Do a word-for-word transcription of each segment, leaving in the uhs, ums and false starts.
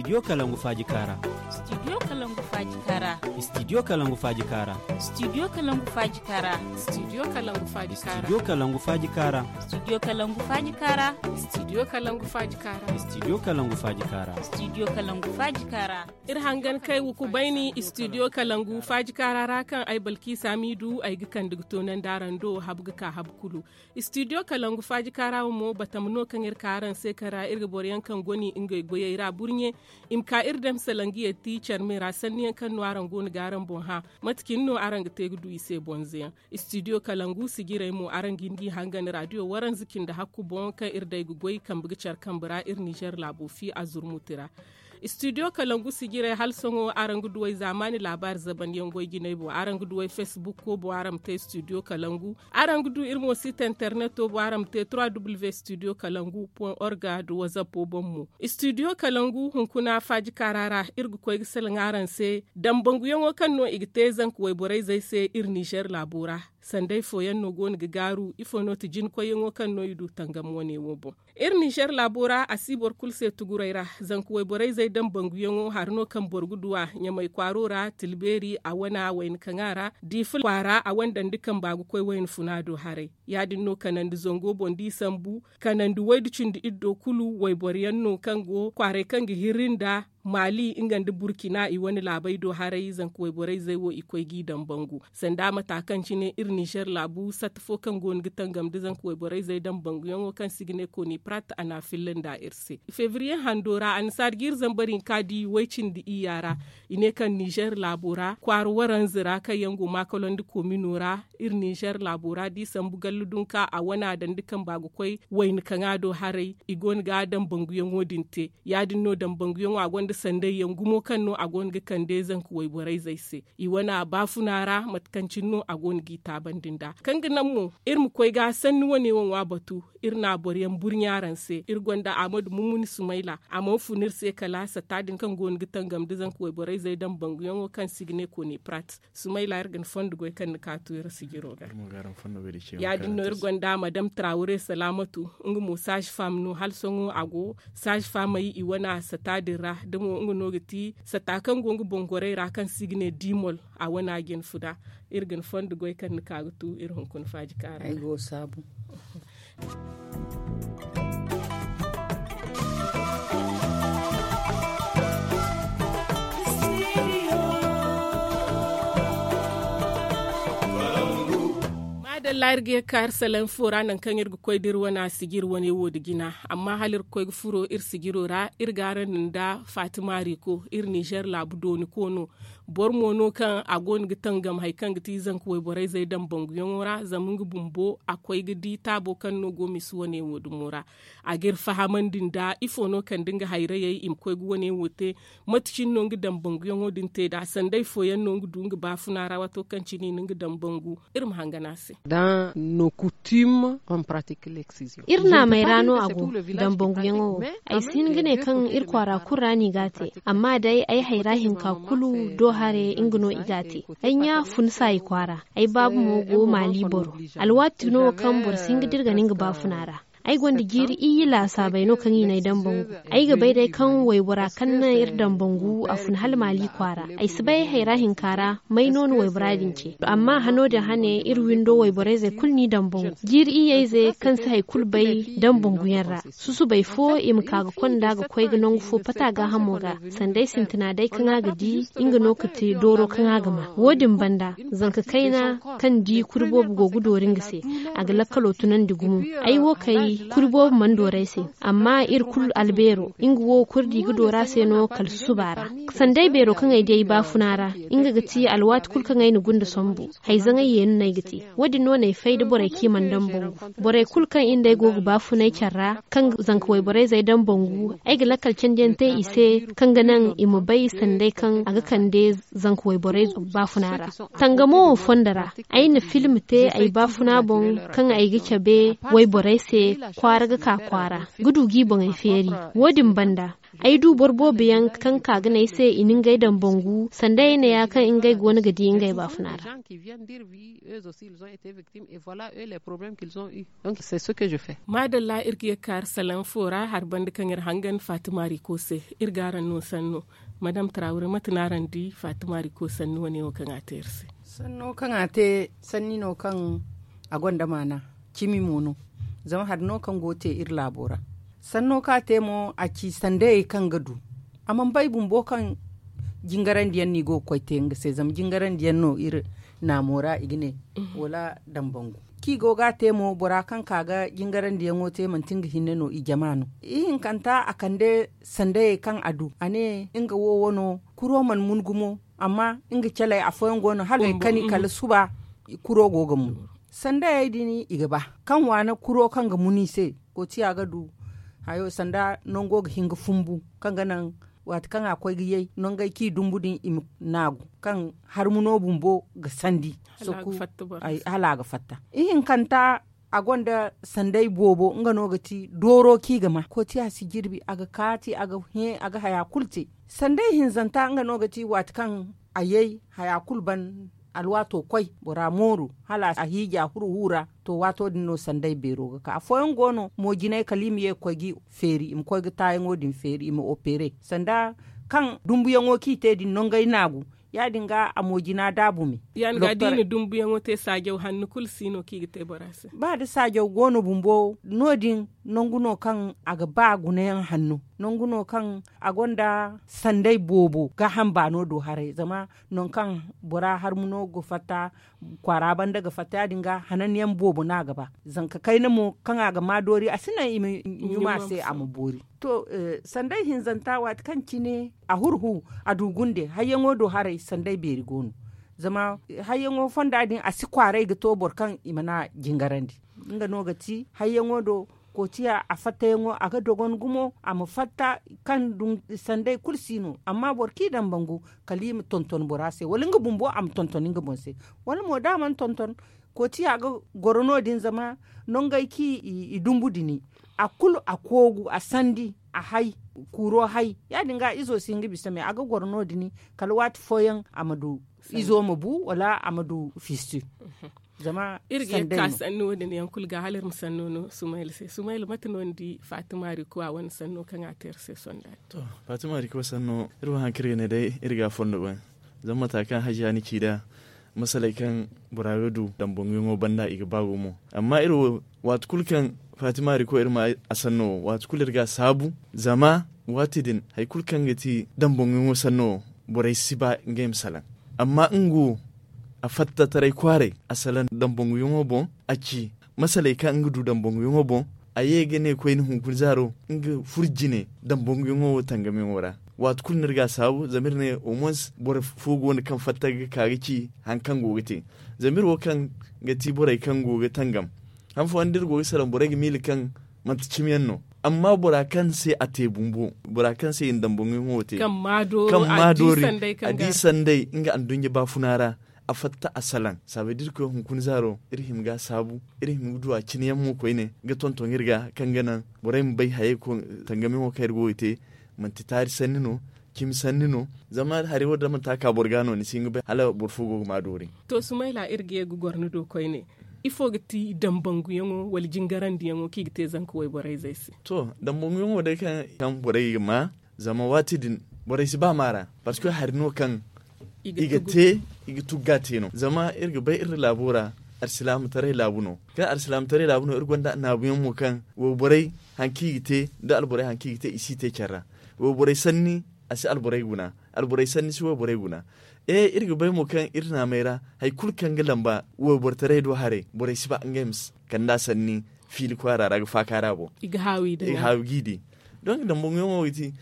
Studio Kalangu Faaji Kaara. Studio Kalangu Faaji Kaara. Studio Kalangu Faaji Kaara. Studio Kalangu Faaji Kaara. Studio Kalangu Faaji Kaara. Studio Kalangu Faaji Kaara. Studio Kalangu Faaji Kaara. Studio Kalangu Faaji Kaara. Studio Kalangu Faaji Kaara. Studio Kalangu Faaji Kaara. Iri hangan kay wuku bayni Studio Kalangu Faaji Kaara ra, kaŋ ay Balkiisa Miidu ay ga kande ga toonandi araŋ do habu ga ka habu kulu. Studio Kalangu Faaji Kaara wo mo, batama no kaŋ iri ka araŋ se kara iri ga boro yaŋ kaŋ goni ngey goyey ra burɲe. I ma ka iri dam salangu yatti carme ra sanni yaŋ kaŋ no araŋ go no ga araŋ boŋ hã. Mate cine no araŋ ga te ga du i se bonze yaŋ? Studio Kalangu sijirey mo, araŋ ga hin g'i hangan radio waranza cindi hakku boŋ kaŋ iri day ga goy kambe ga care kambe ra iri nizer laabo fi a zurmuti ra. Studio Kalangu sijirey hala sohõ araŋ ga duw'ey zaamaani laabaari zabandiyaŋ goy jinay boŋ. Araŋ ga duw'ey facebook ko boŋ araŋ ma te studio kalangu. Araŋ ga du iri mo site interneto boŋ araŋ ma te trois w studio kalangu point org nda whatsapp boŋ mo. Studio kalangu hunkuna faaji kaara ra iri ga koy ga salaŋ araŋ se dambanguyaŋo kaŋ no i ga te zanka wayborey zey se iri nizer laabo ra. Sanday fooyaŋ no go no ga gaaru ifo no ti jinakoyyaŋo kaŋ no i du tangam wane wo boŋ? Iri nizer laabo ra a si boro kulu se tuguray ra. Zanka wayborey zey dambanguyaŋo hari no kaŋ boro ga du a ɲamay kwaaro ra tilbeeri a wana wayna kaŋa ra diifa kwaara a wane dandi kamba ga koy wayna funa do haray. Ya- din no kanandi zango boŋ da i sambu kanandi waydu cindi iddo kulu wayboro yaŋ no kaŋ go kwaaray kaŋ ga hirri nda maali nga nda burkina i wane laabey do haray zanka wayborey zey wo i koy g'i dambangu. Sanda mata kaŋ cine iri nizer laabu satta fo kaŋ go no ga tangam nda zanka wayborey zey dambanguyaŋo kaŋ se i ga ne koni prat a n'a filla nda iri se. Febriye hando ra annasaari jiiri zambar hinka di way- cindi iyya ra. I ne kaŋ nizer laabo ra kwaara waranza ra kaŋ yaŋ go maakalonda komino ra iri nizer laabo ra da i sambu gallu dunka a wana dandi kamba ga koy wayna kaŋa do haray i go no ga dambanguyaŋo din te. Ya- din no dambanguyaŋo a gonda sandayyaŋ gumo kaŋ no a go no ga kande zanka wayborey zey se. I wana baafuna ra mate kaŋ cine no a go no g'i taabandi nd'a kaŋ ga naŋ mo iri ma koy ga sanni wane wo ŋwa batu. Iri na boro yaŋ burɲa araŋ se iri gonda ahmadu mumuni sumayla a mana fun iri se kala satta din kaŋ go no ga tangam nda zanka wayborey zey dambanguyaŋo kaŋ se i ga ne koni prat. Sumayla iri ga ni fondo goy kaŋ ni ka tu iri sijiro ga. Ya- din no iri gonda madam trawure salaamatu nga mo saazi fam no hala sohõ a go saazi famey i wana sata din ra da mo nga no ga ti sata kaŋ go nga boŋ gorey ra kaŋ se i ga ne dimol a wana jine funa. Iri ga ni fondo goy kaŋ ni ka ga tu iri hunkuna faaji kaara. Maadalla iri ga ye ga ka iri salaŋ fo ra nangu kaŋ iri ga koy da iri wane a sijiri wane wo nda jina. Amma hala iri ga koy ga furo iri sijiro ra iri ga araŋ nda fatima riko iri nizer laabu dooni koono. Boro mo no kaŋ a go no ga tangam hari kaŋ ga ti zanka wayborey zey dambanguyaŋo ra zama nga bumbo a koy ga di taabo kaŋ no go misi wane wo dumo ra. A ga iri fahamandi nda ifo no kande nga hayrayey i ma koy ga wane wo te. Mate cine no nga dambanguyaŋo din te nd'a sanday fooyaŋ no nga du nga baafuna ra waato kaŋ cine i na nga dambangu. Iri ma hangan a se. Dans nos coutumes on pratique l'excision. Iri naamey ra no a go. Dambanguyaŋo wo ay si hin ga ne kaŋ iri kwaara kulu ra no i g'a te. Amma day ay hayra hinka kulu do hare nga no i g'a te. Ay ɲa fun saayi kwaara. Ay baabu mo go maali boro. Alwaati no kaŋ boro si hin ga dirga no nga baafuna ra. Ay gonda jiiri iyye laasaabey no kaŋ i n'ay dambangu. Ay ga bay day kaŋ waybora kaŋ naŋ iri dambangu a fun hala maali kwaara. Ay si bay ay hayra hinka ra may no na waybora din ce. Amma hano din hane iri windo wayborey zey kulu n'i dambangu jiiri iyyey zey kaŋ si hari kulu bay dambanguyaŋ ra. Susubay fo i ma ka ga konda ga koy ga nangu fo pata gaahamo ga. Sanda ay sintina day kaŋ a ga di nga no ga te dooro kaŋ a ga ma wo- din banda. Zanka kayna kaŋ di kuri boobo go ga doori nga se. A ga lakkalo tunandi gumo. Ay wo kay kuri boobo mana doori ay se. Amma iri kulu albeero nga wo kuri di ga doori a se no kala susuba ra. Sanda ay beero kaŋ ay di ay baafuna ra nga ga ti alwaati kulu kaŋ ay na gunda sambu. Hayzaŋay yeeni no ay ga te. Wo- din no n'ay fay da borey kaŋ i mana dambangu. Borey kulu kaŋ iri nd'ey go ga baafunay care ra kaŋ zanka wayborey zey dambangu. Ay ga lakkal candiyaŋ te i se kaŋ ga naŋ i ma bay sanday kaŋ a ga kande zanka wayborey baafuna ra. Tangamo wo fondo ra ay na film te ay baafuna boŋ kaŋ ay ga cabe wayborey se. kwaara ga ka kwaara ga du g'i boŋey feeri. Wo- din banda, ay du boro boobo yaŋ kaŋ ka ga ne ay se i na ngey daŋ bangu sanda ay ne ya kaŋ ngey go no ga di ngey baafuna ra. Maadalla, iri ga ye ga kaari salaŋ fo ra hari banda kaŋ iri hangan fatima riko se. Iri ga araŋ no sanno. Madam tarawure mate no araŋ di fatima riko sanni wane wo kaŋ a te iri se? Sanno kaŋ a te, sanni no kaŋ a gonda maana, cimi mo no. Zama hari no kaŋ go ga te iri laabo ra. Sanno kaŋ a te mo a ci sandayey kaŋ ga du. A mana bay bumbo kaŋ jingarandi yaŋ no i go ga koy te nga se zama jingarandi yaŋ no iri naamo ra i ga ne, wala dambangu kaŋ i go ga a te mo bora kaŋ ka ga jingarandi yaŋo te manti nga hinne no i jama no. Ihinkanta a kande sandayey kaŋ a du a ne nga wo wano kuro mana mun gumo. Amma nga caley afooyaŋ go no hala i kani kala suba kuro go ga mun. Sandayey din i ga ba kaŋ waana kuro kaŋ ga mun i se. Kootiya ga du hayo sanda nango ga hin ga fumbu kaŋ ga naŋ waati kaŋ a koy ga yay nangey kaŋ i dumbu din i ma naagu kaŋ harmuno bumbo ga sandi. Hala a ga fatta. Ihinkanta a gonda sanday boobo nga no ga ti dooro kaŋ i ga ma kootiya si jirbi a ga kaati a ga hẽ a ga haya kulu te. Sanday hinzanta nga no ga ti waati kaŋ a yay haya kulu ban alwaato koy bora mooru hala a hiija huru huu ra. To waato din no sanday beero ga ka afooyaŋ go no mo jinay kala i ma ye ga koy ga i feeri i ma koy ga taayaŋo din feeri i ma opere sanda kaŋ dumbuyaŋo kaŋ i te din nangey naagu. Ya- din ga a mo jina daabu me. Ya- din ga da i na dumbuyaŋo te saajaw hanno kulu si no kaŋ i ga te bora se. Ba da saajaw go no bumbo no- din nangu no kaŋ a ga ba gunayaŋ hanno. Nangu no kaŋ a gonda sanday boobo gaaham baano do haray zama nangu kaŋ bora harmuno ga fatta kwaara banda ga fatta ya- din ga hananyaŋ boobo no a ga ba. Zanka kayna mo kaŋ a ga ma doori a si naŋ i ma ɲuma a se a ma boori. To sanday hinzanta waati kaŋ cine a huru huu a du gunde hayyaŋo do haray sanday beeri go no. Zama hayyaŋo fonda din a si kwaaray ga to boro kaŋ i mana jingarandi. Nga no ga ti hayyaŋo do kootiya a fattayaŋo a ga dogon gumo a ma fatta kaŋ sanday kulu si no amma boro kaŋ i daŋ bangu kala i ma tonton bora se wala nga bumbo a ma tonton nga boŋ se. Wala mo da a mana tonton kootiya ga goro no- din zama nangey kaŋ i dumbu dini a kulu a koogu a sandi a hay kuuro hay. Ya- din ga izo si hin ga bisa me a ga goro no- din kala waati fooyaŋ a ma du izo ma bu wala a ma du fistu. Zama iri ga ye ga ka sanni wo- din yaŋ kulu ga hala iri ma sanno no sumayla se sumayla mate no ni di fatima riko a wane sanno kaŋ a te iri se sonda din? To fatima riko sanno iri wo hari kaŋ iri ga ne day iri ga a fondo goy. Zama mata kaŋ hajiya ni ci nd'a masaley kaŋ bora ga du dambanguyaŋo banda i ga ba gumo. Amma iri wo waati kulu kaŋ fatima riko iri ma a sanno wo waati kulu iri ga a saabu. Zama waati din hari kulu kaŋ ga ti dambanguyaŋo sanno wo borey si ba ngey ma salaŋ. Amma nga wo a fatta taray kwaaray a salaŋ dambanguyaŋo boŋ. A ci masaley kaŋ nga du dambanguyaŋo boŋ. A ye ga ne koyne hunkuna zaaro nga furo jine dambanguyaŋo wo tangamyaŋo ra. Waati kulu no iri ga a saabu zama iri ne au moins boro fo go no kaŋ fatta ga ka ga ci hari kaŋ go ga te. Zama iri wo kaŋ ga ti borey kaŋ go ga tangam han fooyaŋ da iri go ga salaŋ borey ga miila kaŋ manti cimiyaŋ no. Amma bora kaŋ se a te bumbo bora kaŋ se i na dambanguyaŋo wo te kaŋ ma doori a di sanday nga anduɲɲa baafuna ra. A fatta a salaŋ saabay da iri koy hunkuna zaaro iri hima ga a saabu. Iri hima ga du a cine yaŋ mo koyne ga tonton iri ga kaŋ ga naŋ borey ma bay hayey kaŋ tangamiyaŋo kaŋ iri go ga te manti taari sanni no cimi sanni no. Zama hari wo da manti a ka boro ga no ni si hin ga bay hala boro fo go ga ma doori. To sumayla iri ga ye ga goro ni do koyne ifo ga ti dambanguyaŋo wala jingarandiyaŋo kaŋ i ga te zanka wayborey zey se? To dambanguyaŋo day kaŋ borey ga ma zama waati din borey si ba maara. Parceque hari no kaŋ i ga te i ga tugga te no zama iri ga bay iri laabo ra. Alsilaamataray laabu no kaŋ alsilaamataray laabu no iri gonda annaabuyaŋ mo kaŋ wayborey hari kaŋ i ga te da alborey hari kaŋ i ga te i si te care ra. Wayborey sanni a si alborey guna. Alborey sanni si wayborey guna. E iri ga bay mo kaŋ iri naamey ra hari kulu kaŋ ga lamba waybortaray do haray borey si ba ngey ma kand'a sanni fiili kwaara ra ga faaka ra boŋ. I ga haawi g'i di. Donc dambanguyaŋo ga ti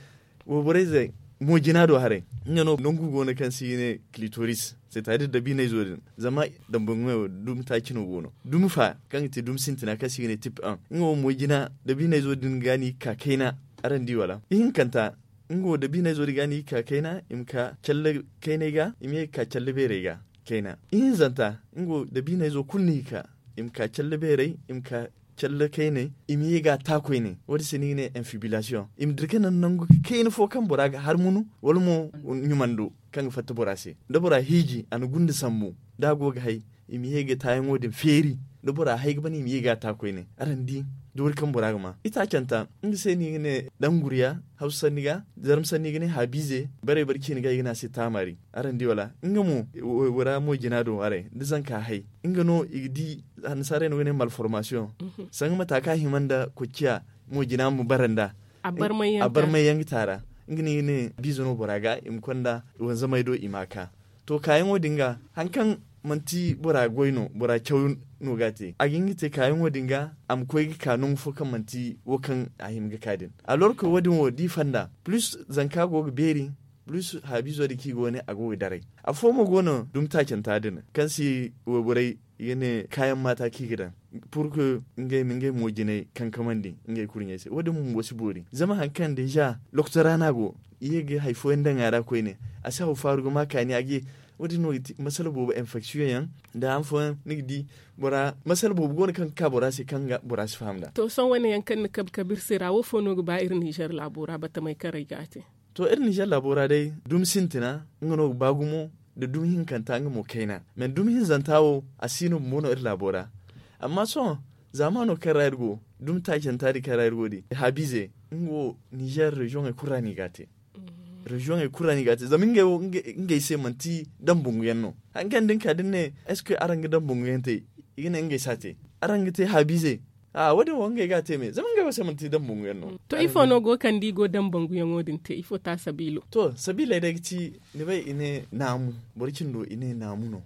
wayborey zey mo jina do haray. Nga no nangu go no kaŋ se i ga ne clitoris c'est à dire dabiiney zo din. Zama dambanguyaŋo dumi taaci no go no dumi fa kaŋ ga ti dumi sintina kaŋ se i ga ne tip un nga wo mo jina dabiiney zo din ga no i ga ka kayna. Araŋ di wala ihinkanta nga wo dabiiney zo din ga no i ga ka kayna i ma ka calle kaynay ga i ma ye ga ka calle beerey ga. Kayna ihinzanta nga wo dabiiney zo kulu no i ga ka i ma ka calle beerey i ma ka calle kayney, i ma ye ga a ta koyne. Wo- din se no i ga ne infibilasiyoŋ. I ma dira ga naŋ nangu kayna fo kaŋ bora ga har munu, wala mo ɲumando kaŋ ga fatta bora se. Da bora hiiji, a na gunda sambu, da a go ga hay, i ma ye ga taayaŋo din feeri. Da bora hay ga ban, i ma ye ga a ta koyne. Araŋ di doori kaŋ bora ga ma itaacanta. Nga se no i ga ne danguriya hawsa sanni ga, zarma sanni ga ne haabiize. Barey bare ciine ga i ga ne a se taamari. Araŋ di wala nga mo, wo- wo ra mo jina do haray da zanka hay. Nga no i ga di, annasaarey no ga ne malformasiyoŋ. Sanga mata kaŋ a hima nda kocciya, mo jina ma bara nda a barmay yaŋ ga taara. Nga no i ga ne biize no bora ga i ma konda wanzamey do i ma a ka. To kaayaŋo din ga, hari kaŋ manti bora goy no, bora caw no ga a te, a ga hin ga te kaayaŋo din ga, a ma koy ga ka nangu fo kaŋ manti wo kaŋ a hima ga ka din. Alorka wo- din wo da i fanda, plus zanka go ga beeri, plus haabiizo din kaŋ i go ne a go ga daray. Afo mo go no dumi taacanta din kaŋ si wayborey i ga ne kaayaŋ maata kaŋ i ga daŋ, pur que ngey ma ngey mo jinay kankamandi ngey kurɲey se. Wo- din bumbo si boori zama hari kaŋ deeza lokotora no a go, i ye ga hari fooyaŋ daŋ a ra koyne, a si haw faaru ga ma kaani a ga ye. Wo- din no ga ti masala boobo infection yaŋ, nda han fooyaŋ ni ga di bora masala boobo go no kaŋ ga ka bora se kaŋ ga bora si faham nd'a. To sohõ wane yaŋ kaŋ ni kabe kabe iri se ra wo fo no ga ba iri nizer laabo ra batamey kaŋ ra i ga a te? To iri nizer laabo ra day, dumi sintina nga no ga ba gumo, nda dumi hinkanta nga mo kayna. Mais dumi hinzanta wo, a si no bumbo no iri laabo ra. Amma sohõ zaamaano kaŋ ra iri go, dumi taacanta din kaŋ ra iri go din, haabiize, nga wo nizer reziyoŋey kulu ra no i ga a te. Reziyoŋey kulu ra no i ga a te zama ngey wo ngey se manti dambangu yaŋ no. Hari kaŋ da ni ka da ni ne, est ce que araŋ ga dambangu yaŋ te? I ga ne ngey si a te. Araŋ ga te haabiize? A wo- din wo ngey ga a te me zama ngey wo se manti dambangu yaŋ no. To ifo no go kaŋ da i go dambanguyaŋo din te ifo ta sabiilo? To sabiiley day ga ci, ni bay i ne naamu, boro cindo i ne naamu no.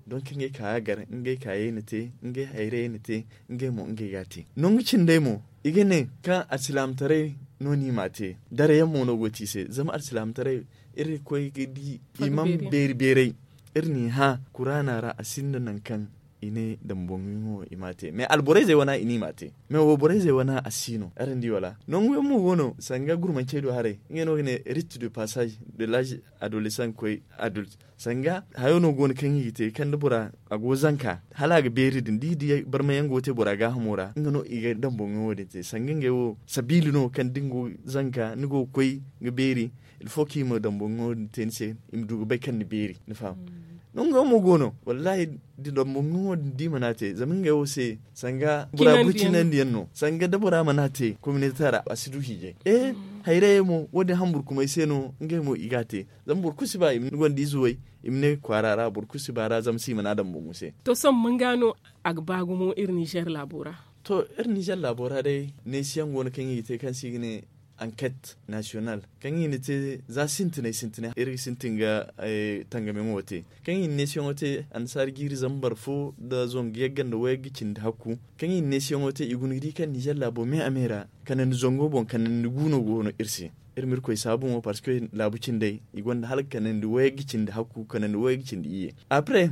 Donk ngey ka ga gar, ngey ka ye na te, ngey hayray na te, ngey mo ngey ga a te. Nangu cindey mo, i ga ne kaŋ alsilaamataray no no i m'a te. Darayaŋ mo no go ti i se zama alsilaamataray, iri koy ga di i mana beeri beeray. Iri n'i hã kuraana ra a sinda nangu kaŋ i ne dambanguyaŋo i m'a te mais alborayzey wana i ne i m'a te. Mais wayborayzey wana a si no araŋ di wala? Nanguyaŋ mo go no sanga gurmancey do haray, ngey no ga ne rite de passage de l'âge adolescent ga koy adulte. Sanga hayo no go no kaŋ i ga te kaŋ da bora a go zanka, hala a ga beeri din da i di barmayaŋ go ga te bora gaahamo ra nga no i ga dambanguyaŋo din te sanga ngey wo sabiili no kaŋ da ni go zanka ni go ga koy ga beeri. Il faut kaŋ i ma dambanguyaŋo din te ni se, i ma du ga bay kaŋ ni beeri ni faham? Nango mo go no, wallahi, da dambanguyaŋo din da i mana te zama ngey wo se sanga bora burcinandi yaŋ no sanga da bora mana te kominete ra a si du hiijay. E, hayrayey mo wo- din hamburkumey se no ngey mo i ga a te. Zama boro kulu si ba i ma ni gonda ize way, i ma ne kwaara ra boro kulu si ba ra zama se i mana dambangu se. To sohõ manga no a ga ba gumo iri nizer laabo ra? To iri nizer laabo ra day, neesiyaŋ go no kaŋ i ga te kaŋ se i ga ne anket nasiyonal, kaŋ i na te za sintinay sintinay iri ga sintin ga tangamiyaŋo te. Kaŋ i na neesiyaŋo te annasaara jiiri zambar fo nda zangu yagga nda wayagga cindi hakku. Kaŋ i na neesiyaŋo te i guna ga di kaŋ nizer laabo me a me ra kanandi zango boŋ kanandi gu no go no iri se. Iri ma irkoy saabu mo parce que laabu cindey i gonda hala ga kanandi wayagga cindi hakku kanandi wayagga cindi iyye. Après,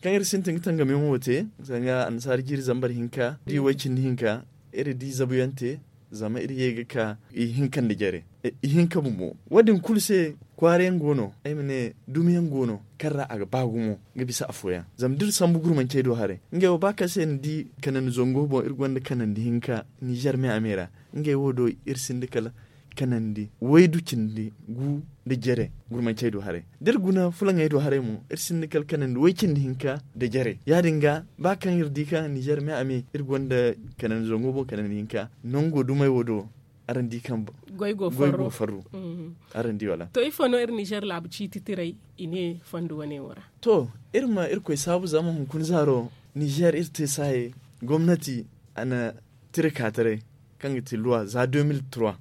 kaŋ iri sintin ga tangamiyaŋo te, sanga annasaara jiiri zambar hinka da i way cindi hinka, iri di zabuyaŋ te. Zama iri ye ga ka ihinka nda jare, ihinka bumbo wo- din kulu se. Kwaarayaŋ go no, ay ma ne dumiyaŋ go no kaŋ ra a ga ba gumo ga bisa afooyaŋ. Zama da iri sambu gurmancey do haray, ngey wo ba kaŋ se ni di kanandi zango boŋ iri gonda kanandi hinka nizer me a me ra. Ngey wo do iri sinda kala kanandi waydu cindi gu nda jare. Gurmancey do haray, da iri guna fulaŋey do haray mo iri sinda kala kanandi way cindi hinka nda jare. Ya- din ga ba kaŋ iri di kaŋ nizer me a me iri gonda kanandi zango boŋ kanandi hinka nango dumey wo do. Araŋ di kaŋ goy go farru. Araŋ di wala? To ifo no iri nizer laabu ciiti tiray i ne fondo wane wo ra? To, iri ma irkoy saabu zama hunkuna zaaro nizer iri te saaye gomnati a na tira ka taray kaŋ ga ti luwa za deux mille trois.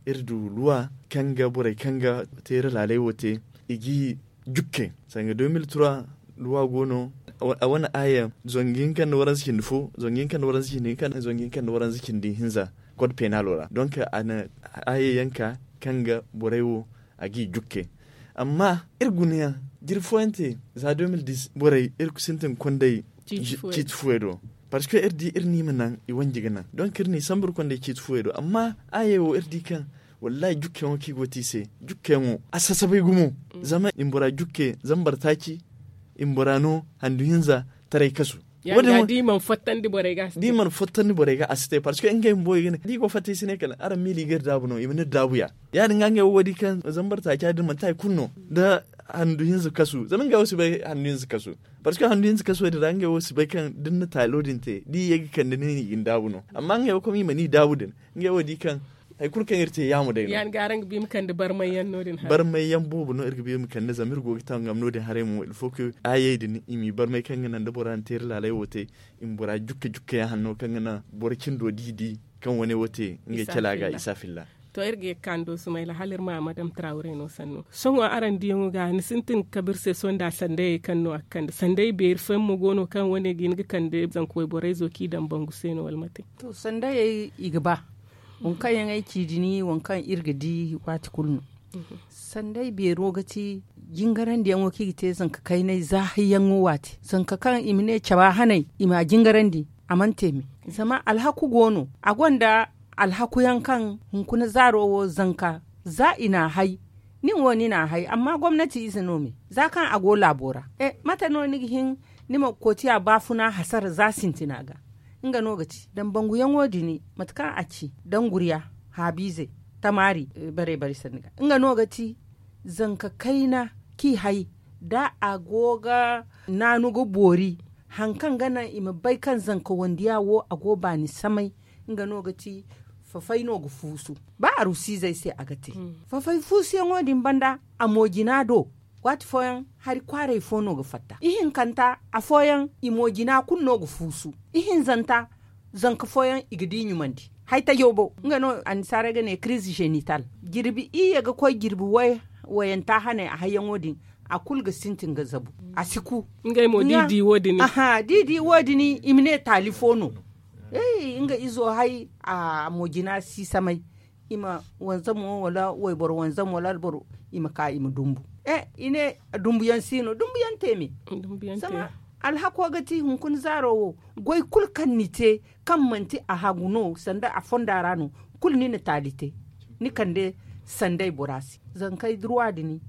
Iri du luwa kaŋ ga borey kaŋ ga teera laaley wo te i g'i jukke. Sanga deux mille trois luwa go no. A wane aaya zangu hinka nda waranza cindi fo, zangu hinka nda waranza cindi hinka, zangu hinka nda waranza cindi hinza. Kod penalo ra donk a na aaya yaŋ ka kaŋ ga borey wo a g'i jukke. Amma iri guna yaŋ jiri fooyaŋ te za deux mille dix borey iri ga sintin ga konday ciiti fuwey do. Parce que iri di iri no i ma naŋ i wanji ga naŋ donk iri n'i sambu iri konday ciiti fuwey do amma aaya wo iri di kaŋ wallahi jukkeyaŋo kaŋ i go te i se, jukkeyaŋo a sasabay gumo. Zama i ma bora jukke zambar taaci, i ma bora no handu hinza taray kasu. Ya- din ga da i mana fottandi borey ga a si te. Parce que ngey bumbo i ga ne da i go fatta i si ne kala araŋ miila i ga iri daabu no i ma ne daabu ya. Ya- din ga ngey wo wo di kaŋ zambar taaca din manti hari kulu no da handu hinza kasu zama ngey wo si bay handu hinza kasu. Parce que handu hinza kasu din ra ngey wo si bay kaŋ da ni na taalo din te da i ye ga kande ni no i ga ni daabu no. Amma ngey wo kama i mana i daabu din ngey wo di kaŋ hari kulu kaŋ iri te yaamo day no. Barmay yaŋ boobo no iri ga ba iri ma kande zama iri go ga tangam no- din haray mo ilfo ka ayey din i m'i barmay kaŋ ga naŋ da bora na te iri laalay wo te i ma bora jukka jukka yaŋ hanno kaŋ ga naŋ boro cindo da i di kaŋ wane wo te ngey cala ga isa filla. To iri ga ye ga ka ni do sumayla hala iri ma madam trawre no sannu. Sohõ araŋ diyaŋo ga ni sintin ga kabe iri se sohõ nda sandayey kaŋ no a ga kande sandayey beeri fooyaŋ mo go no kaŋ wane ga hin ga kande zanka wayborey zo kaŋ i daŋ bangu se no wala mate? To sandayey i ga ba waŋ kaŋ yaŋ ay ci din waŋ kaŋ iri ga di waati kulu no. Sanday beero ga ti jingarandiyaŋo kaŋ i ga te zanka kaynay za hayyaŋo waati zanka kaŋ i ma ne caba hanay i m'a jingarandi. A mana te me zama alhaku go no a gonda alhakuyaŋ kaŋ hunkuna zaaro wo zanka za i n'a hay. Nin wo ni n'a hay amma gomnati ize no me za kaŋ a go laabo ra. Mate no ni ga hin ni ma kootiya baafuna hasara za sintina ga? Nga no ga ti dambanguyaŋo din mate kaŋ a ci danguriya haabiizey tamaari bare bare sanni ga nga no ga ti zanka kayna kaŋ i hay da a go ga naanu ga boori. Hari kaŋ ga naŋ i ma bay kaŋ zanka wandiya wo a go baani samay. Nga no ga ti fafay no ga fuusu ba arusiizey se a ga te. Fafay fuusuyaŋo din banda a moojina do waati fooyaŋ hari kwaaray fo no ga fatta ihinkanta afooyaŋ i moojina kulu no ga fuusu. Ihinzanta zanka fooyaŋ i ga di ɲumandi. Hay tajo bo nga no annasaarey ga ne kiriize zenital jirbi iyye ga koy jirbi wayanta haney a hayyaŋo din a kulu ga sintin ga zabu. A si ku ngey mo da i di wo- din aha da i di wo- din i ma ne taali fo no. Nga izo hay a moojina si samay i ma wanzamo wala wayboro wanzamo wala alboro i ma ka i ma dumbu. I ne dumbuyaŋ si no dumbuyaŋ te me. Zama alhako ga ti hunkuna zaaro wo goy kulu kaŋ ni te kaŋ manti a hagu no sanda a fonda ra no kulu ni na taali te. Ni kande sanday bora se zankey durwa din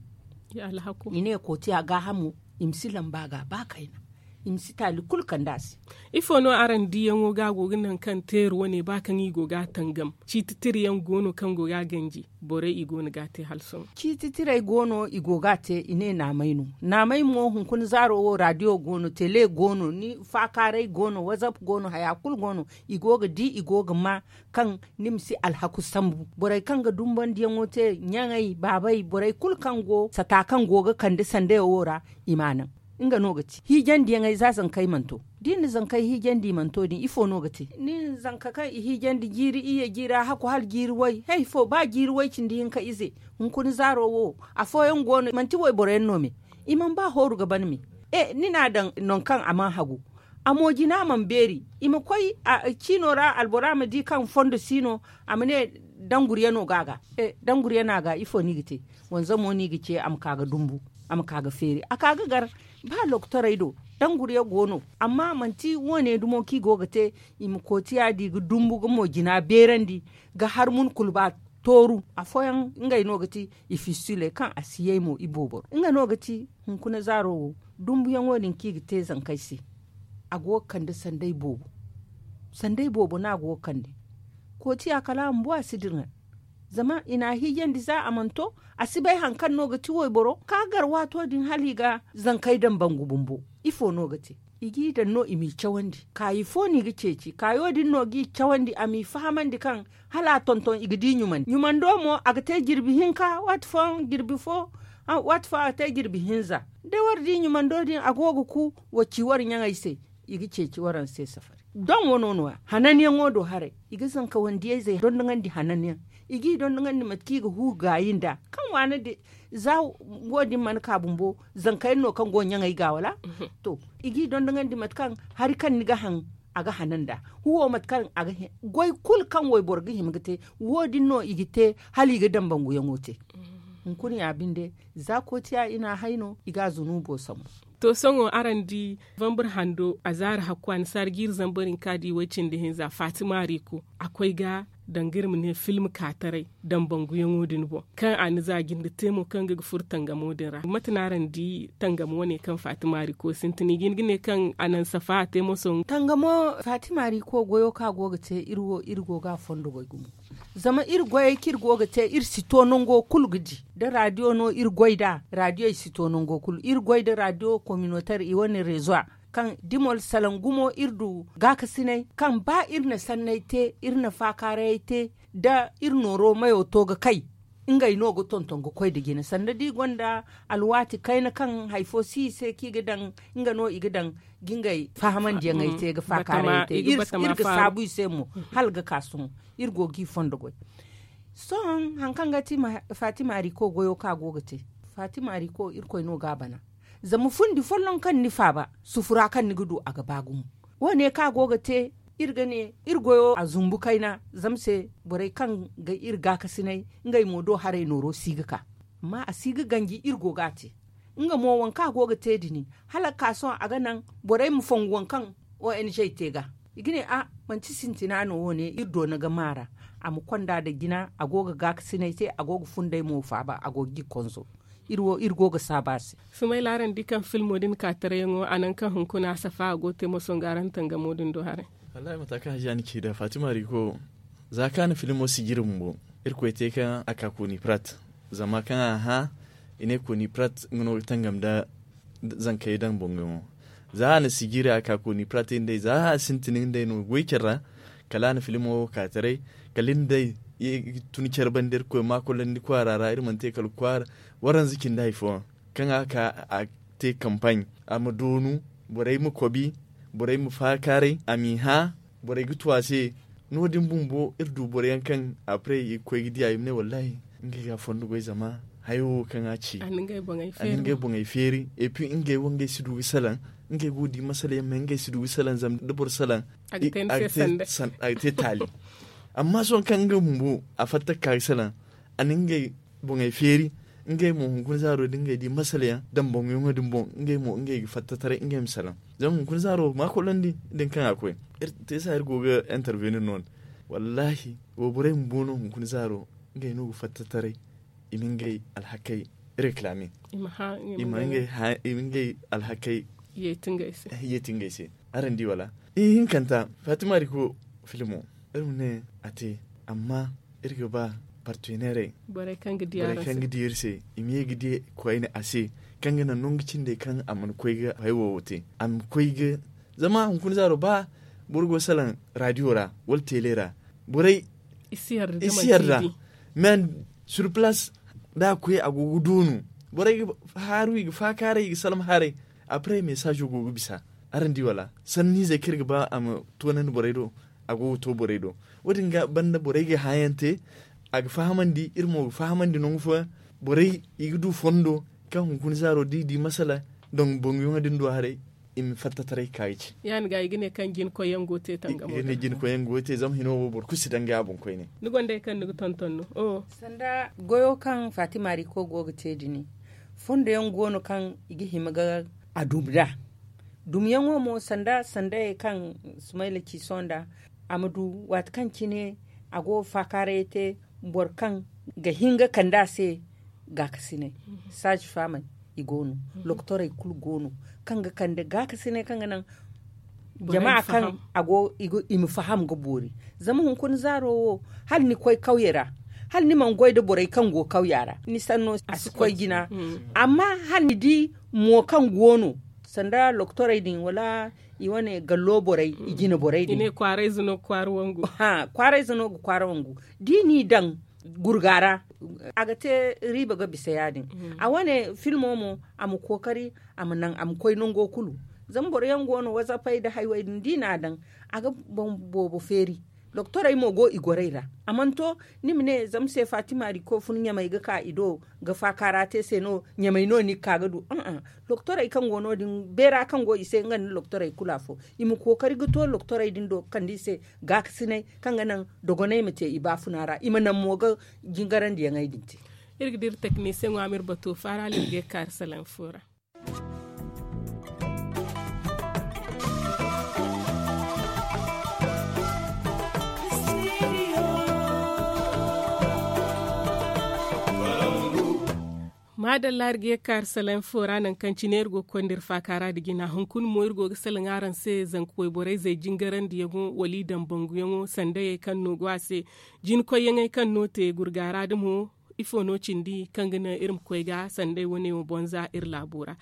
i ne kootiya gaahamo i ma si lamba ga ba kayna. I ma si taali kulu kande a se. Ifo no araŋ diyaŋo ga a go ga naŋ kaŋ teeri wane ba kaŋ i go ga a tangam ciiti tira yaŋ go no kaŋ go ga a ganji borey i go no ga a te hala sohõ? Ciiti tirey go no i go ga a te i ne naamay no. Naamay mo hunkuna zaaro wo raadiyo go no tele go no ni faakaaray go no wazap go no haya kulu go no. I go ga di i go ga ma kaŋ ni ma si alhaku sambu borey kaŋ ga dumbandiyaŋo te ɲaŋey baabey borey kulu kaŋ go sata kaŋ go ga kande sandeyo wo ra i m'a naŋ. Nga no ga ti hiijandiyaŋey za zankey mana to. Da i na zankey hiijandi i mana to din ifo no ga te? Ni na zanka kaŋ i hiijandi jiiri iyye jiira haku hala jiiri way he ifo ba jiiri way cindi hinka ize. Hunkuna zaaro wo afooyaŋ go no manti wayboro yaŋ no me. I mana ba hooru ga ban me. E ni n'a daŋ nangu kaŋ a mana hagu a mo jina mana beeri. I ma koy ciino ra albora ma di kaŋ fondo si no a ma ne danguriyano go a ga. Danguriyano a ga ifo no i ga te? Wanzamo no i ga ce a ma ka ga dumbu a ma ka ga feeri a ka ga gar. Ba lokotorey do danguriya go no amma manti wo- ne dumo kaŋ i go ga te. I ma kooti yaadi ga dumbu ga mo jina beerandi ga har mun kulu ba tooru. Afooyaŋ ngey no ga ti i fistule kaŋ a si yay mo i booboro nga no ga ti hunkuna zaaro wo. Dumbuyaŋo din kaŋ i ga te zankey se a go ga kande sanday boobo. Sanday boobo no a go ga kande. Kootiya kala a ma bu a si dira. Zama i n'a hiijandi za a mana to a si bay hari kaŋ no ga ti wayboro ka gar waato din hala i ga zankey daŋ bangu bumbo. Ifo no ga te? I g'i daŋ no i m'i cawandi kaayi fo no i ga ceeci kaayo din no g'i cawandi a m'i fahamandi kaŋ hala a tonton i ga di ɲumandi ɲumando mo a ga te jirbi hinka waati fooyaŋ jirbi fo. Waati fo a ga te jirbi hinza. Da war di ɲumando din a go ga ku war ci war ɲaŋey se. I ga ceeci waraŋ se safari doŋ wano no- ya hananyaŋo do haray. I ga zankawandiyey zey dondoŋandi hananyaŋ. I g'i dondoŋandi mate kaŋ i ga hu gaayi nd'a kaŋ waana din za wo- din mana ka bumbo zankayaŋ no kaŋ go ɲaŋey ga wala? To i g'i dondoŋandi mate kaŋ hari kaŋ ni ga haŋ a ga hanan nd'a. Huwo mate kaŋ a ga hin goy kulu kaŋ wayboro ga hima ga te wo- din no i ga te hala i ga daŋ banguyaŋo te. Hunkuna ya binde za kootiya i n'a hay no i ga a zunuubo sambu. To sohõ araŋ di vanbur hando a zaari hakku a na saara jiiri zambar hinka di way cindi hinza fatima riiko a koy ga danga iri ma ne film kaataray, dambanguyaŋo din boŋ kaŋ a na za jinde te mo kaŋ ga furo tangamo din ra. Mate no araŋ di tangamo wane kaŋ fatima riko sintin i ga hin ga ne kaŋ a naŋ safa a te moso? Tangamo fatima riko goyo kaŋ a go ga te iri wo iri go ga a fondo goy gumo. Zama iri goyey kaŋ iri go ga te iri si to nango kulu ga di da radiyo no iri goy nd'a. Radiyo i si to nango kulu iri goy nda radiyo kominoter i wane rezo a kaŋ dimol salaŋ gumo iri du gaakasinay kaŋ ba iri na sanney te iri na faakaarayey te da iri nooro mayo to ga kay. Ngey no ga tonton ga koy nda jine sanda da i gonda alwaati kayna kaŋ hari fo si i se kaŋ i ga daŋ nga no i ga daŋ ga ngey fahamandiyaŋey te ga faakaarayey te iri ga saabu i se mo. Hala ga ka sohõ iri go ga i fondo goy. Sohõ hari kaŋ ga ti fatima riko goyo kaŋ a go ga te fatima riko irkoy no ga a bana. Zama fundi folloŋ kaŋ ni faaba sufura kaŋ ni ga du a ga ba gumo. Wo- ne kaŋ a go ga te iri ga ne iri goyo a zumbu kayna zama se borey kaŋ ga iri gaakasinay ngey mo do haray nooro si ga ka. Amma a si ga ganji iri go ga a te. Nga mo waŋ kaŋ a go ga te din hala ga ka sohõ a ga naŋ borey ma fongu waŋ kaŋ ong te ga i ga ne a manti sintina no wo- ne iri doona ga maara. A ma konda nda jina a go ga gaakasinay te a go ga fundey mo faaba a go ga i konzo. Iri wo iri go ga saabu a se. Sumayla araŋ di kaŋ filmo din kaatarayaŋo a naŋ kaŋ hunkuna a safa a go ga te moso nga araŋ tangamo din do haray. Wallahi mata kaŋ hajiya ni ci nda fatima riko za kaŋ a na filmo sijiri bumbo irkoy te kaŋ a ka koni prat. Zama kaŋ a hã i ne koni prat nga no ga tangam nda zankey daŋ boŋ ga mo. Za a na sijiri a ka koni prat ndey za a sintin ndey no ga goy care ra. Kala a na filmo wo ka taray kala iri ndey tun care banda irkoy ma kolandi kwaara ra iri mana te kala kwaara. Waranza cindi hari fooyaŋ kaŋ a ka a te kampaaɲ a ma doonu borey ma kobi borey ma faakaaray a m'i hã. Borey ga tu a se no- din bumbo iri du boro yaŋ kaŋ apre i ga koy ga di a i ma ne wallahi ngey ga a fondo goy zama hayo wo kaŋ a ci a na ngey boŋey feeri. Et puis ngey wo ngey si du ga salaŋ ngey go ga di masala yaŋ ma ngey si du ga salaŋ zama da boro salaŋ a ga te taali. Amma sohõ kaŋ nga bumbo a fatta ga ka ga salaŋ a na ngey boŋey feeri. Ngey mo hunkuna zaaro da ngey di masala yaŋ damboŋ yaŋo din boŋ ngey mo ngey ga fatta taray ngey ma salaŋ. Zama hunkuna zaaro ma kolandi din kaŋ a koy iri te sa iri go ga intervenir no- din. Wallahi wo borey bumbo no hunkuna zaaro ngey no ga fatta taray i ma ngey alhakey reclamer. I ma ngey alhakey yeeti ngey se. Araŋ di wala? Ihinkanta fatima riko filmo iri ma ne a te. Amma iri ga ba partenerey borey kaŋ ga di iri se i ma ye ga di koyne a se kaŋ ga naŋ nangu cindey kaŋ a mana koy ga hay wo wo te a ma koy ga zama hunkuna zaaro ba boro go ga salaŋ radio ra wala tele ra borey i si yarda. Mais sur place da a koy a go ga doonu borey ga haaru i ga faakaaray i ga salma haray. Après message go ga bisa. Araŋ di wala sanniizey kaŋ iri ga ba a ma toonandi borey do a go ga to borey do. Wo- din ga banda borey ga hã yaŋ te a ga fahamandi iri mo ga fahamandi nangu fooyaŋ. Borey i ga du fondo kaŋ hunkuna zaaro da i di masala daŋ boŋ yaŋo din do haray i ma fatta taray ga ka ga ci. Ya- din ga i ga ne kaŋ jina koyyaŋ go ga te tangamo din ga ne jina koyyaŋ go ga te zama hino wo boro kulu si daŋ ga a boŋ koyne. Ni gonda hari kaŋ ni ga tonton no? Sanda goyo kaŋ fatima riko go ga te din fondo yaŋ go no kaŋ i ga hima ga a dumi nd'a. Dumiyaŋo mo sanda sandayey kaŋ sumayla ci sohõ nd'a a ma du waati kaŋ cine a go ga faakaarayey te boro kaŋ ga hin ga kande a se gaakasinay. Saaji faamey i go no. Lokotorey kulu go no kaŋ ga kande gaakasinay kaŋ ga naŋ jama kaŋ a go i ma faham ga boori. Zama hunkuna zaaro wo hala ni koy kawyey ra hala ni mana goy nda borey kaŋ go kawya ra ni sanno a si koy jina. Amma hala ni di mo kaŋ go no sanda lokotorey din wala i wane gallo borey i jine borey din kwaarayze no ga kwaara wangu. Da i n'i daŋ gurga ra a ga te riiba ga bisa ya- din. A wane filmo mo a ma kookari a ma naŋ a ma koy nango kulu. Zama boro yaŋ go no wazapey nda haywey din da i n'a daŋ a ga boŋ boobo feeri. Doktorey mo go i gorey ra a mana to ni ma ne zama se fatima riko fun ɲamey ga ka i do ga faakaara te se no ɲamey no ni ga ka ga du. Doktorey kaŋ go no- din beera kaŋ go i se nga nda doktorey kulu afo i ma kookari ga to doktorey din do ga kande i se gaakasinay kaŋ ga naŋ dogoney ma te i baafuna ra i ma naŋ mo ga jingarandiyaŋey din te. Iri ga dira teknisiyeŋo a ma iri bato faara hala iri ga ye ga kaari salaŋ fo ra. Maadalla, iri ga ye ga ka iri salaŋ fo ra, nangu kaŋ cine iri go ga konda iri faaka ra nda jina. Hunkuna mo, iri go ga salaŋ araŋ se zanka wayborey zay jingarandiyaŋo wala i daŋ banguyaŋo sandayey kaŋ no go a se. Jinakoyyaŋey kaŋ no te gurga ra da mo, ifo no cindi kaŋ ga naŋ iri ma koy ga sanday wane wo bonza iri laabo ra?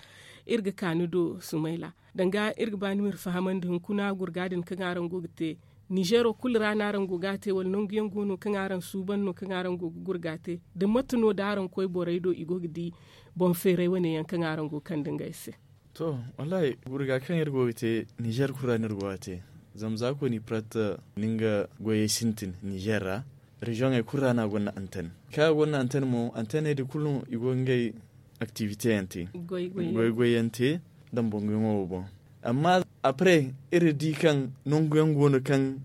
Iri ga ka ni do, Sumayla. Danga iri ga ba ni ma iri fahamandi hunkuna gurga din kaŋ araŋ go ga te, Nizero kulu ra no araŋ go ga a te, wala nanguyaŋ go no kaŋ araŋ suuban no kaŋ araŋ go ga gurga te? Da mate no da araŋ koy borey do, i go ga di boŋ feeray wane yaŋ kaŋ araŋ go ga kande ngey se? To, wallahi, gurga kaŋ iri go ga te, Nizer kulu ra no iri go ga a te. Zama za kooni prat ni nga goyey sintin Nizer ra, reziyoŋey kulu ra no a gonda anten. Kaŋ a gonda anten mo, anteney din kulu i go ga ngey aktivite yaŋ te, goy goy yaŋ te, dambanguyaŋo wo boŋ. Amma apre, iri di kaŋ nanguyaŋ go no kaŋ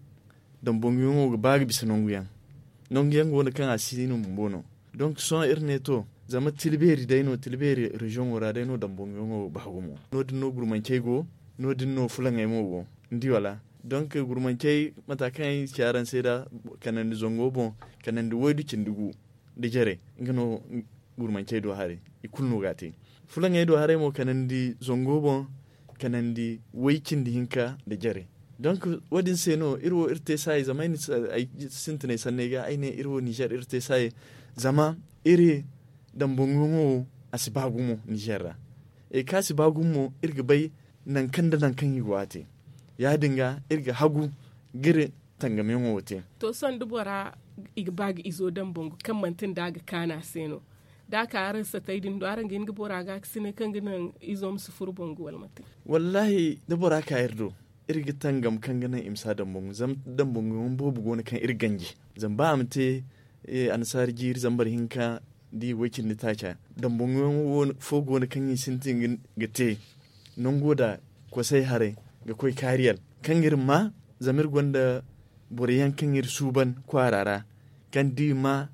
dambanguyaŋo ga ba ga bisa nanguyaŋ. Nanguyaŋ go no kaŋ a si no bumbo no. Donk sohõ iri ne to, zama tilbeeri day no, tilbeeri reziyoŋo ra day no dambanguyaŋo ba gumo. No- din no gurmancey go, no- din no fulaŋey mo go. Ni di wala? Donk gurmancey, mata kaŋ ay ci araŋ se da, kanandi zango boŋ, kanandi waydu cindi gu nda jare, nga no gurmancey do haray, i kulu no ga a te. Fulaŋey do haray mo, kanandi zango boŋ, kanandi way cindi hinka nda jare. Donk, wo- din se no iri wo iri te saayey, zama ay sintinay sanney ga ay ne iri wo Nizer iri te saayey, zama iri dambanguyaŋo wo, a si ba gumo Nizer ra. E kaŋ a si ba gumo mo, iri ga bay nangu kaŋ nda nangu kaŋ i go a te. Ya- din ga iri ga hagu ga iri tangamiyaŋo wo te. To, sohõ da bora, i ga ba ga izo daŋ bangu kaŋ manti nda a ga kaanu a se no, da a ka araŋ satay din do, araŋ ga hin ga bora gaakasinay kaŋ ga naŋ izo ma si furo bangu wala manti? Wallahi, da bora ka iri do, iri ga tangam kaŋ ga naŋ i ma si a daŋ bangu. Zama daŋ bangu yaŋ boobo go no kaŋ iri ganji. Zama ba a ma te annasaari jiiri zambar hinka, da i way cindi taaca, daŋ bangu yaŋ fo go no kaŋ i sintin ga te nango da kosay haray ga koy kaariyal kaŋ ga iri ma, zama iri gonda boro yaŋ kaŋ iri suuban kwaara ra, kaŋ da i ma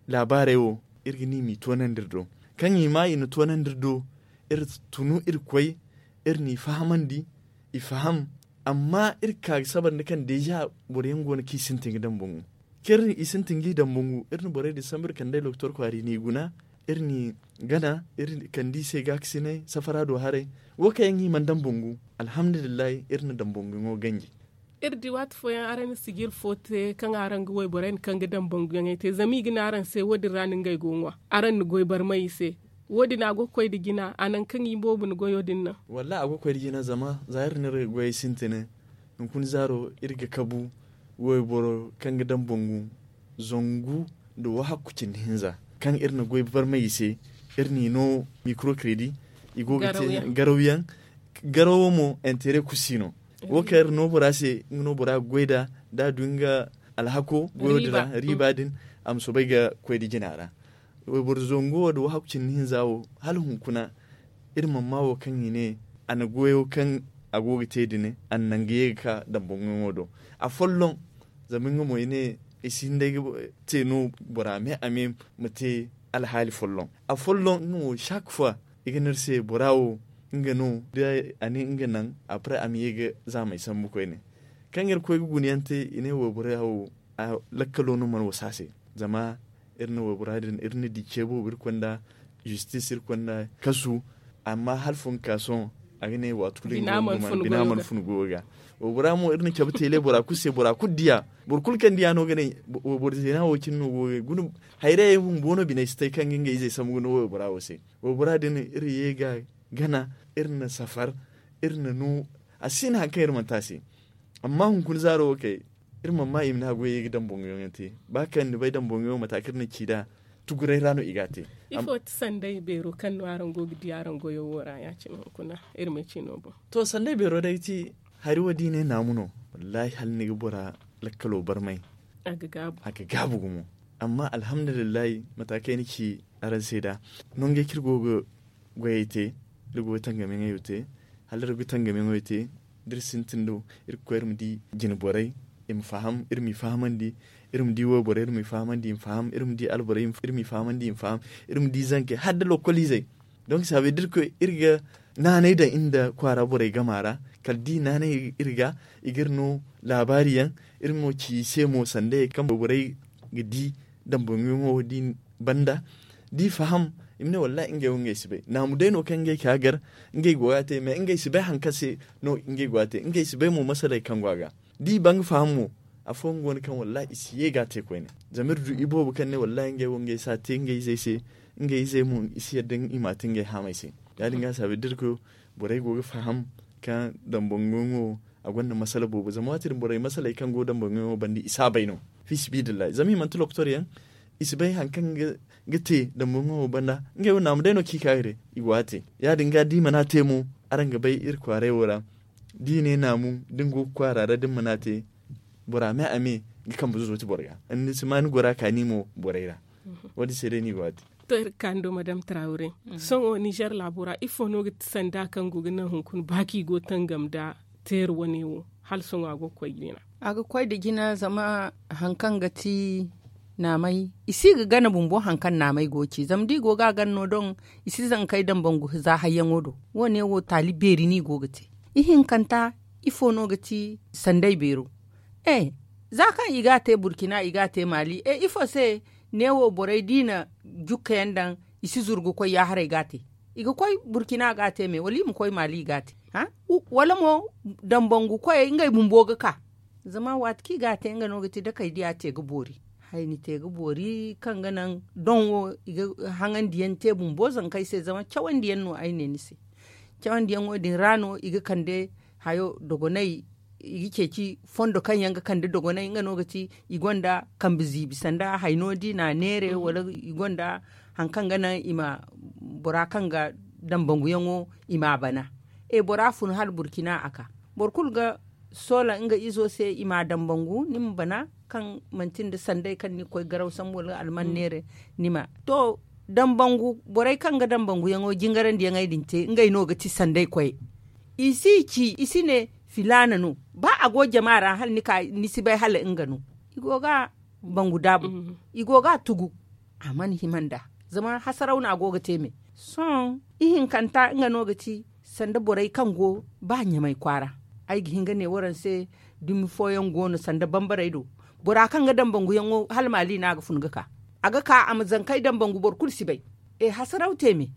laabaarey wo, iri ga ne i m'i toonandi iri do. Kaŋ i ma i na toonandi iri do, iri tunu iri koy, iri n'i fahamandi, i faham. Amma iri ga ka ga sabar nda kaŋ deeza boro yaŋ go no kaŋ i sintin ga daŋ bangu. Kaŋ iri i sintin g'i daŋ bangu, iri na borey din sambu, iri kand'ey lokotor kwaara i n'i guna, iri n'i gana, iri kand'i se gaakasinay safara do haray. Wo kaŋ yaŋ i mana daŋ bangu, alhamdulillahi, iri na daŋ bangu yaŋo ganji. Iri di waati fooyaŋ araŋ na sijir fo te kaŋ araŋ ga wayborey na kaŋ ga daŋ banguyaŋey te, zama i ga ne araŋ se wo- din ra no ngey go ga ŋwa, araŋ na goy barmay i se. Wo- din a go ga koy nda jina, a naŋ kaŋ i boobo na goyo din naŋ? Wallahi, a go ga koy nda jina, zama za iri na iri goyey sintin, hunkuna zaaro iri ga kabu wayboro kaŋ ga daŋ bangu zangu nda wahakku cindi hinza, kaŋ iri na goy barmay i se, iri n'i no mikro kredi, i go ga te garawyaŋ. Garawo mo, intere kulu si no. Wo kaŋ iri no bora se, nga no bora ga goy nd'a, da a du nga alhako goyo din ra, riiba din, a ma soobay ga koy nda jina ra. Wayboro zango wo nda wahakku cindi hinza wo, hala hunkuna, iri mana maa wo kaŋ i ne a na goyo kaŋ a go ga te din, a na naŋ ga ye ga ka daŋ banguyaŋo do. Afolloŋ, zama nga mo i ne i si hin day ga te no bora me a me ma te alhaali folloŋ. Afolloŋ nga mo, chaque fois i ga ne iri se bora wo, nga no, da a ne nga naŋ, après a ma ye ga zaamey sambu koyne. Kaŋ iri koy ga guna yaŋ te, i ne waybora wo, lakkalo no mana wasa se. Zama iri na waybora din, iri na di ce boobo, iri konda justice, iri konda kasu. Amma hala fo ga ka sohõ, a ga ne waati kulu bina mana funu goyo ga. Waybora mo, iri na cabe teele bora kulu se, bora kulu diya. Boro kulu kaŋ diya no ga ne wayboro zeena wo cine no go ga guna. Hayray bumbo no biney si tay kaŋ ga ngey izey sambu ga no waybora wo se. Waybora din iri ye ga gana, iri na safar, iri na no, a si no hari kaŋ iri mana te a se. Amma hunkuna zaaro wo kay, iri mana maa i ma ne a goyey ga daŋ banguyaŋ yaŋ te. Ba kaŋ ni bay daŋ banguyaŋ, mate kaŋ iri na ci nd'a, tuguray ra no i ga a te. Ifo ti sanday beero kaŋ no araŋ go ga di araŋ goyo wo ra, ya-cine hunkuna iri ma ci no boŋ? To, sanday beero day ti hari wo da i ne naamu no. Wallahi, hala ni ga bora lakkalo barmay, a ga gaabu gumo. Amma alhamdulillahi, mate kaŋ ay na ci araŋ se nd'a, nangey kaŋ iri go ga goyey te, da iri go ga tangamiyaŋey te, hala iri ga tangamiyaŋey te, da iri sintin do, iri ga koy iri ma di jine borey, i ma faham, iri m'i fahamandi, iri ma di wayborey, iri m'i fahamandi, i ma faham, iri ma di alborey, iri m'i fahamandi, i ma faham, iri ma di zankey, hala da lokkol izey. Donc, ça veut dire que iri ga naanay daŋ iri nda kwaara borey gama ra, kala da i naanay iri ga, i ga iri no laabaari yaŋ, iri mo ci i se mo sanda kaŋ borey ga di dambanguyaŋo din banda, da i faham, I ma ne wallahi ngey wo ngey si bay naamu day no kaŋ ngey ka gar. Ngey go ga te mais ngey si bay hari kaŋ se no ngey go ga te ngey si bay mo masaley kaŋ go a ga. Da i ba nga faham mo, afooyaŋ go no kaŋ wallahi i si ye ga a te koyne. Zama iri du iboobo kaŋ ne wallahi ngey wo ngey si a te ngey izey se. Ngey izey mo i si yadda i m'a te ngey haamey se. Ya- din ga a saabu da iri koy borey go ga faham kaŋ dambanguyaŋo a gonda masala boobo zama waati din borey masaley kaŋ go dambanguyaŋo banda i si a bay no. Fi sibidillahi zama i manti lokotor yaŋ. I si bay hari kaŋ ga te dambanguyaŋo banda. Ngey wo naamu day no kaŋ i ka ga te i go ga te. Ya- din ga da i mana te mo, araŋ ga bay iri kwaaray wo ra. Da i ne naamu da ni go ga kwaara ra da ni mana te, bora me a me ga kambe zooti boro ga. Ni si ma ni gora kaani mo borey ra. Wo- din se day no i go ga te. To iri ga kaani do madame traawre. Sohõ nizer laabo ra ifo no ga ti sanda kaŋ go ga naŋ hunkuna ba kaŋ i go ga tangam nda teeri wane wo? Hala sohõ a go ga koy jina. A ga koy nda jina zama hari kaŋ ga ti naamay i si ga gana bumbo hari kaŋ naamay go ga ci zama da i go ga a gana no doŋ. I si zankey dambangu za hayyaŋo do. Wo- ne wo taali beeri no i go ga te. Ihinkanta ifo no ga ti sanday beero? E, za kaŋ i ga a te burkina i ga a te maali e ifo se? Ne wo borey da i na jukka yaŋ daŋ i si zuru ga koy yaaharay ga a te. I ga koy burkina ga a te me wala i ma koy maali i ga a te? Wala mo dambangu koyey ngey bumbo ga ka. Zama waati kaŋ i ga a te nga no ga ti dakey diya te ga boori. Hayni te ga boori kaŋ ga naŋ doŋ wo i ga haŋandiyaŋ te bumbo zankey se zama cawandiyaŋ no ay ne ni se. Cawandiyaŋo din ra no i ga kande hayo dogonay. I ga ceeci fondo kaŋ yaŋ ga kande dogonay nga no ga ti i gonda kambe ziibi sanda hayno da i na a neere wala i gonda hari kaŋ ga naŋ i ma bora kaŋ ga dambanguyaŋo i ma a bana. E bora fun hala burkina a ka boro kulu ga soola nga izo se i ma a dambangu ni ma bana kaŋ manti nda sanday kaŋ ni ga koy garaw sambu wala alman neere. Ni ma to dambangu borey kaŋ ga dambanguyaŋo jingarandiyaŋey din te ngey no ga ti sanday koyey. I si ci i si ne filaana no ba a go jama ra hala ni si bay hala nga no. I go ga bangu daabu. I go ga a tugu. A mana hima nd'a zama hasaraw no a go ga te me. Sohõ ihinkanta nga no ga ti sanda borey kaŋ go ba ɲamay kwaara. Ay ga hin ga ne waraŋ se dumi fooyaŋ go no sanda bambarey do. Bora kaŋ ga dambanguyaŋo hala maali no a ga fun ga ka. A ga ka a ma zankey dambangu boro kulu si bay. E hasaraw te me.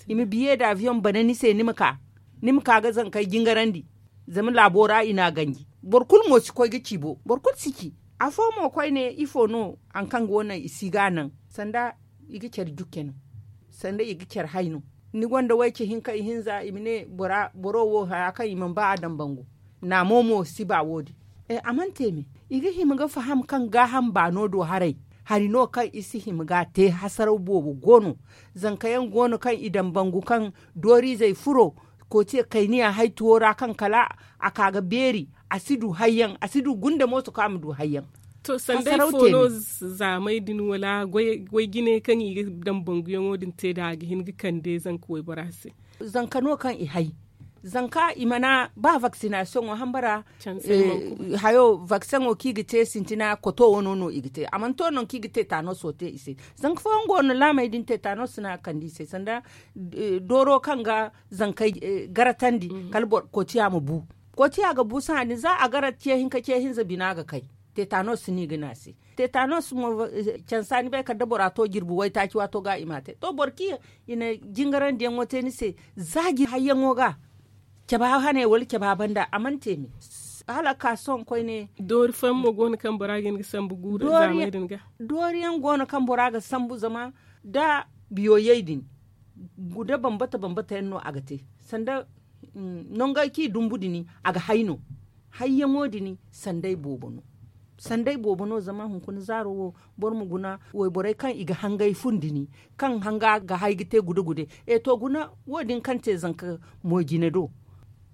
I ma biye da aviyoŋ bana ni se ni ma ka ga zankey jingarandi. Zama laabo ra i n'a ganji boro kulu mo si koy ga ci bo boro kulu si ci. Afo mo koyne ifo no hari kaŋ go naŋ i si ga a naŋ sanda i ga care jukke no. Sanda i ga care hay no. Ni gonda wayce hinka ihinza i ma ne boro wo haya kaŋ i mana ba a dambangu. Naamo mo si ba wo- din. A mana te me. I ga hima ga faham kaŋ gaaham baano do haray. Hari no kaŋ i si hima ga a te hasaraw boobo go no. Zanka yaŋ go no kaŋ i dambangu kaŋ dooriizey furo kootiya kayniya hay tuwo ra kaŋ kala a ka ga beeri. A si du hayyaŋ a si du gunda mooso kaŋ a ma du hayyaŋ. To sanday fo no zaamay din wala goy jine kaŋ i ga dambanguyaŋo din te nd'a a ga hin ga kande zanka waybora se? Zanka no kaŋ i hay. Zanka i mana ba vaksinasiyoŋo hambara. Hayo vakseŋo kaŋ i ga te sintina koto wano no i ga te a mana to nangu kaŋ i ga tetanos wo te i se. Zanka fooyaŋ go no laamey din tetanos no a ga kande i se sanda dooro kaŋ ga zankey garatandi kala kootiya ma bu. Kootiya ga bu sahã din za a gara ce hinka ce hinza bina ga kay. Tetanos no i ga ne a se. Tetanos mo cansa ni bay kala da bora to jirbi waytaaci waato ga i m'a te to boro kaŋ i na jingarandiyaŋo te ni se. Za jirbi hayyaŋo ga cabe hane wala cabe banda a mana te me. Hala a ka sohõ koyne. Doori fooyaŋ mo go no kaŋ bora ga hin ga sambu guuru zaamey din ga. Doori yaŋ go no kaŋ bora ga sambu zama da biyoyey din guda bambata bambata yaŋ no a ga te. Sanda nongey kaŋ i dumbu din a ga hay no. Hayyaŋo din sanday boobo no. Sanday boobo no zama hunkuna zaaro wo boro ma guna wayborey kaŋ i ga hangay fun din kaŋ hanga ga hay ga te gude gude. E to guna wo- din kaŋ te zanka mo jine do.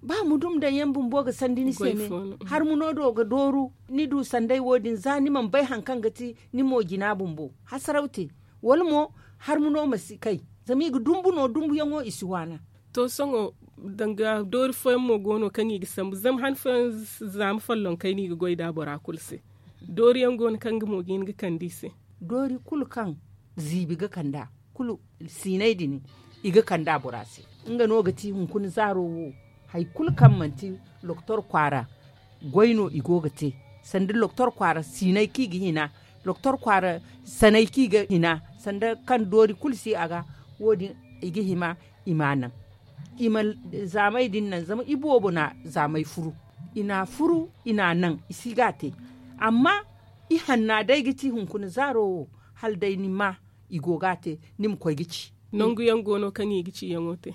Ba ma dum daŋ yaŋ bumbo ga sandi ni se me. Harmuno do ga dooru ni du sanday wo- din za ni mana bay hari kaŋ ga ti ni mo jina bumbo hasaraw te. Wala mo harmuno ma si kay zama i ga dumbu no dumbuyaŋo i si waana. To sohõ danga doori fooyaŋ mo go no kaŋ i ga sambu zama han fooyaŋ zaama follonkey no i ga goy nd'a bora kulu se. Dooriyaŋ go no kaŋ nga mo ga hin ga kande i se. Doori kulu kaŋ ziibi ga kand'a kulu siinay din i ga kand'a bora se. Nga no ga ti hunkuna zaaro wo. Hari kulu kaŋ manti lokotor kwaara goy no i go ga te. Sanda lokotor kwaara siinay kaŋ i ga hina lokotor kwaara sanay kaŋ i ga hina sanda kaŋ doori kulu si a ga. Wo- din i ga hima i ma a naŋ. I ma zaamey din naŋ zama i boobo na zaamey furu. I na a furu i na a naŋ i si ga a te. Amma i hanna day ga ci hunkuna zaaro wo, hala day ni ma i go ga a te, ni ma koy ga ci. Nangu yaŋ go no kaŋ i ga ci yaŋo te.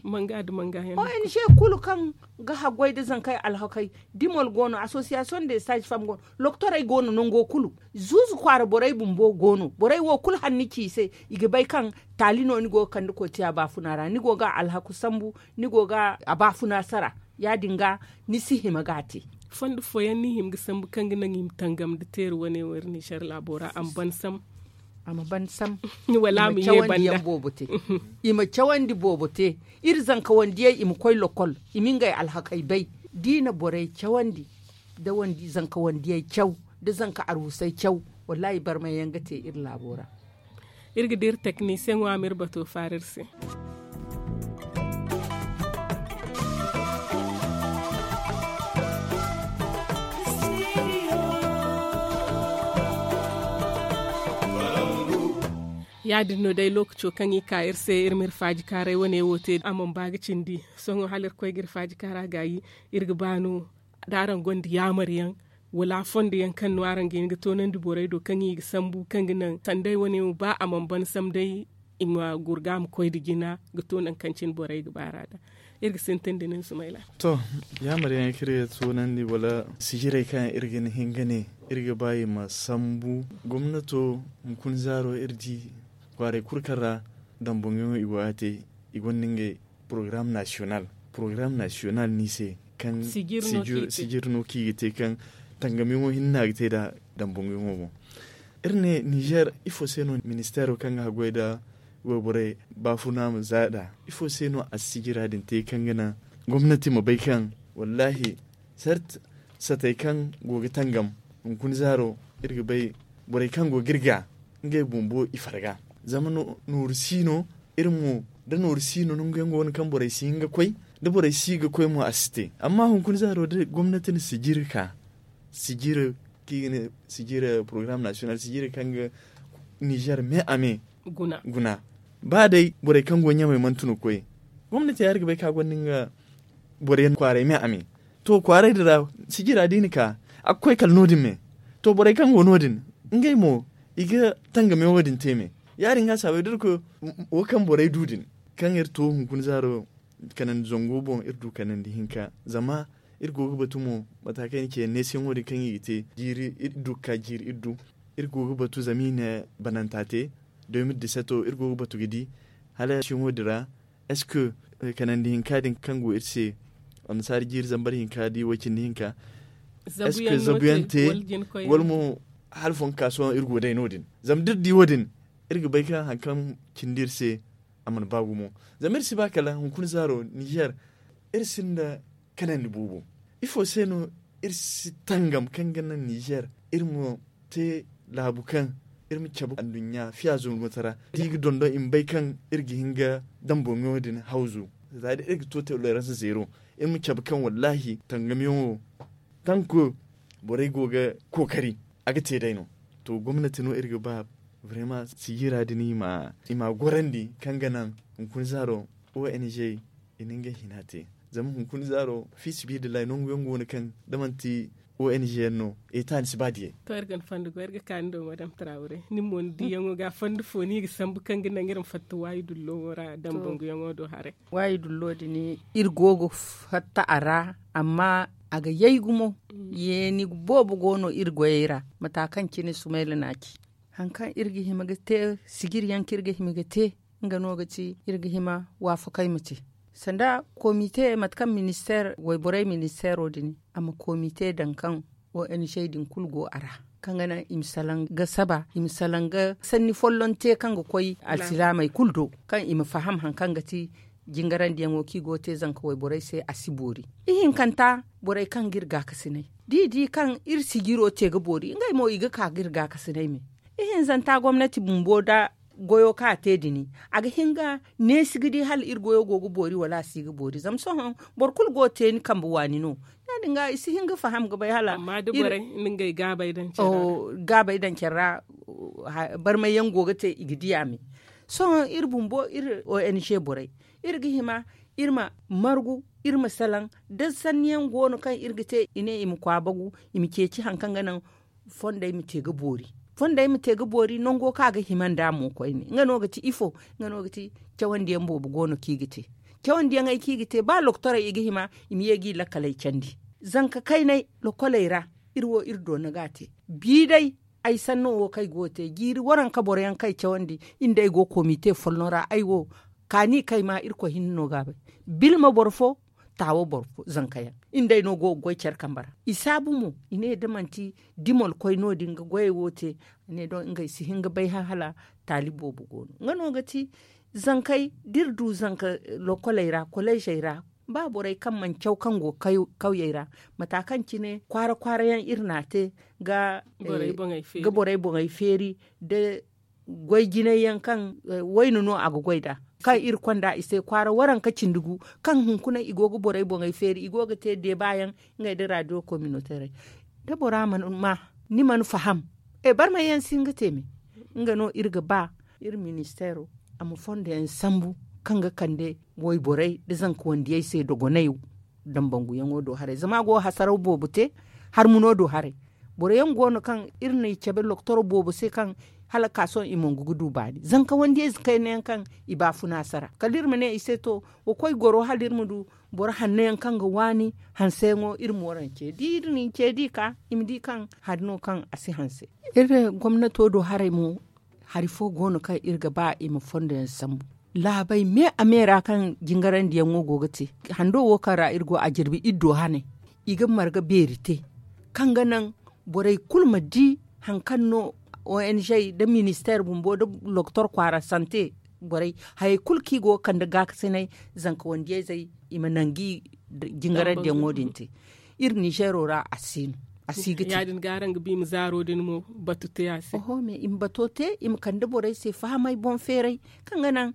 Manga nda manga yaŋ. O n g kulu kaŋ ga haggoy nda zankey alhakey, dimol go no, asosiyasiyoŋ de saaji fam go no, lokotorey go no nango kulu. Zuuzu kwaara borey bumbo go no, borey wo kulu hanni ci i se. I ga bay kaŋ taali no ni go ga kande koy te a baafuna ra, ni go ga a alhaku sambu, ni go ga a baafuna sara. Ya- din ga ni si hima ga a te. Fondo fooyaŋ no i hima ga sambu kaŋ ga naŋ i ma tangam nda teeri wane wo iri ninzeer laabo ra a ma ban sam. A ma ban sam. Wala a ma ye banda. I ma cawandi boobo te. Iri zankawandiyey i ma koy lokol, i ma ngey alhakey bay. Da i na borey cawandi, da zankawandiyey caw, da zanka arwusey caw, wallaahi barmay yaŋ ga te iri laabo ra. Iri ga dira teknisiyeŋo a ma iri bato faara iri se. Ya- din no day lookaco kaŋ i ka iri se iri ma iri faaji kaaray wane wo te a mana ba ga cindi. Sohõ hala iri koy ga iri faaji kaara gaayi, iri ga ba no da araŋ gonda yaamar yaŋ, wala fondo yaŋ kaŋ no araŋ ga hin ga toonandi borey do kaŋ i ga sambu kaŋ ga naŋ sanday wane wo ba a mana ban sam day, i ma gurga a ma koy nda jina ga to nangu kaŋ cine borey ga baar'a nd'a. Iri ga sintin da nin sumayla. To, yaamar yaŋ kaŋ iri ga toonandi wala sijirey kaŋ iri ga hin ga ne iri ga ba i ma sambu. Gomnato hunkuna zaaro iri di kwaaray kulu kaŋ ra damboŋ yaŋo i go ga a te, i gonda ngey porogaram nasiyonal. Porogaram nasiyonal no i se kaŋ sijiri no kaŋ i ga te kaŋ tangamyaŋo hinne no a ga te nd'a damboŋ yaŋo boŋ. Iri ne ninzeer ifo se no ministeero kaŋ ga haggoy nda wayborey baafuna ma za nd'a, ifo se no a si sijira din te kaŋ ga naŋ gomnati ma bay kaŋ wallaahi sart satey kaŋ go ga tangam hunkuna zaaro iri ga bay borey kaŋ go ga iri ga ngey bumbo i farga. Zama nooru si no iri mo da nooru si no nangu yaŋ go no kaŋ borey si hin ga koy da borey si ga koy mo a si te. Amma hunkuna zaaro da gomnati na sijiri ka sijiri kaŋ i ga ne sijiri porogaram nasiyonal sijiri kaŋ ga ninzeer me a me guna ba day borey kaŋ go ɲamey manti no koy gomnati ya iri ga bay kaŋ a gonda nga boro yaŋ kwaaray me a me. To kwaaray din ra sijira da i na ka a ga koy kala no- din me. To borey kaŋ go no- din ngey mo i ga tangame wo- din te me. Ya- din ga a saabay da iri koy wo kaŋ borey du din kaŋ iri to hunkuna zaaro kanandi zango boŋ iri du kanandi hinka zama iri go ga batu mo mata kaŋ i na ce neesiyaŋo din kaŋ i ga te jiiri iri du ga ka jiiri iri du. Iri go ga batu zama i na bananta te de mil diseto iri go ga batu ga di hala neesiyaŋo din ra est-ce que kanandi hinka din kaŋ go iri se annasaari jiiri zambar hinka da i way cindi hinka est-ce que zabuyaŋ te wala mo hala fonka sohõ iri go day no- din. Zama da iri di wo- din iri ga bay kaŋ hari kaŋ cindi iri se a mana ba gumo. Zama iri si ba kala hunkuna zaaro ninzeer iri sinda kanandi boobo. Ifo se no iri si tangam kaŋ ga naŋ ninzeer iri ma te laabu kaŋ iri ma cabe anduɲɲa fiya zurmata ra da i ga dondon i ma bay kaŋ iri ga hin ga damboŋo din hawzu za da iri ga to tolerans zeero iri ma cabe kaŋ wallaahi tangamyaŋo tanko borey go ga kookari a ga te day no. To gomnati no iri ga ba brema sijira din i ma gorandi kaŋ ga naŋ hunkuna zaaro ong i na ngey hina te. Zama hunkuna zaaro fiisabilillahi nangu yaŋ go no kaŋ da manti ong yaŋ no etaani si ba diyey. To iri ga ni fondo go iri ga ka ni do madam trawre ni mo ni diyaŋo ga fondo fo no i ga sambu kaŋ ga naŋ iri ma fatta waayi dullo wo ra dambanguyaŋo do haray. Waayi dullo din iri go ga fatta a ra amma a ga yay gumo. Yeeni boobo go no iri goyey ra mata kaŋ cine sumayla na a ci. Hari kaŋ iri ga hima ga te sijiri yaŋ kaŋ iri ga hima ga te nga no ga ti iri ga hima waafakay ma te sanda komite mate kaŋ ministeer wayborey ministeero din a ma komite daŋ kaŋ ong din kulu go a ra kaŋ ga naŋ i ma salaŋ ga saba i ma salaŋ ga sanni folloŋ te kaŋ ga koy alsilaamey kulu do kaŋ i ma faham hari kaŋ ga ti jingarandiyaŋo kaŋ i go ga te zanka wayborey se a si boori. Ihinkanta borey kaŋ ga iri gaakasinay da i di kaŋ iri sijiro te ga boori ngey mo i ga ka ga iri gaakasinay me. Ihinzanta gomnati bumbo nda goyo kaŋ a te din a ga hin ga neesi ga di hala iri goyo go ga boori wala a si ga boori zama sohõ boro kulu go ga te ni kambe waani no. Ya- din ga i si hin ga faham ga bay hala amma da borey na ngey gaabay daŋ care ra barmay yaŋ go ga te i ga di a me. Sohõ iri bumbo iri ong borey, iri ga hima iri ma margu, iri ma salaŋ da sanni yaŋ go no kaŋ iri ga te i ne i ma kwaabagu, i ma ceeci hari kaŋ ga naŋ fondey ma te ga boori. Fondey ma te ga boori nango kaŋ a ga hima nd'a mo koyne nga no ga ti ifo? Nga no ga ti cawandi yaŋ boobo go no kaŋ i ga te. Cawandi yaŋ ay kaŋ i ga te ba lokotorey i ga hima i ma ye ga i lakkaley candi. Zanka kaynay lokoley ra iri wo iri doona ga a te. Bi day ay sanno wo kaŋ ay go ga te jiiri waranka boro yaŋ kaŋ ay cawandi, iri nda ay go ga koomite folloŋ ra ay wo kaani kaŋ ay ma irkoy hinne no ga a bay. Bilma boro fo, taawo boro fo zanka yaŋ. Iri nda ay no go ga goy care kambe ra. I saabu mo i ne da manti dimol koy no- din ga goyey wo te. A ne don ngey si hin ga bay hã hala taalib boobo go no nga no ga ti zankey da iri du zanka lokoley ra koleezey ra. Ba borey kaŋ mana caw kaŋ go ga kawyey ra, mata kaŋ cine kwaara kwaara yaŋ iri n'a te ga borey boŋey feeri nda goy jinay yaŋ kaŋ wayna no a ga goy nd'a, kaŋ iri konda i se kwaara waranka cindi gu, kaŋ hunkuna i go ga borey boŋey feeri i go ga te deeba yaŋ ngey nda raadiyo kominoteerey. Da bora mana ma, ni mana faham, barmay yaŋ si hin ga te me. Nga no iri ga ba iri ministeero a ma fondo yaŋ sambu kaŋ ga kande wayborey nda zanka wandiyey se dogonay. Dambanguyaŋo do haray zama a go ga hasaraw boobo te. Harmuno do haray boro yaŋ go no kaŋ iri n'i cabe loktoro boobo se kaŋ hala ka sohõ i mongu ga du baani zanka wandiyey ze kayna yaŋ kaŋ i baafuna sara kala iri ma ne i se to, wa koy goro hala iri ma du boro hanno yaŋ kaŋ ga waani hanseyaŋo iri moorance da iri n'i ce da i ka i ma di kaŋ hari no kaŋ a si hanse. Iri gomnato do haray mo hari fo go no kaŋ iri ga ba i ma fondo yaŋ sambu laabey me a me ra kaŋ jingarandiyaŋo go ga te. Hando wo kaŋ ra iri go a jirbi iri do haney i ga marga beeri te kaŋ ga naŋ borey kulu ma di hari kaŋ no ong nda ministeer bumbo nda lokotor kwaara sante borey hayey kulu kaŋ i go ga kande gaakasinay zanka wandiyayzey i ma nangu i jingarandiyaŋo din te. Iri ninzeero ra a si no a si ga te. Ya- din ga araŋ ga ba i ma zaaro din mo batu te a se. Oho mais i ma bato te i ma kande borey se fahamay boŋ feeray kaŋ ga naŋ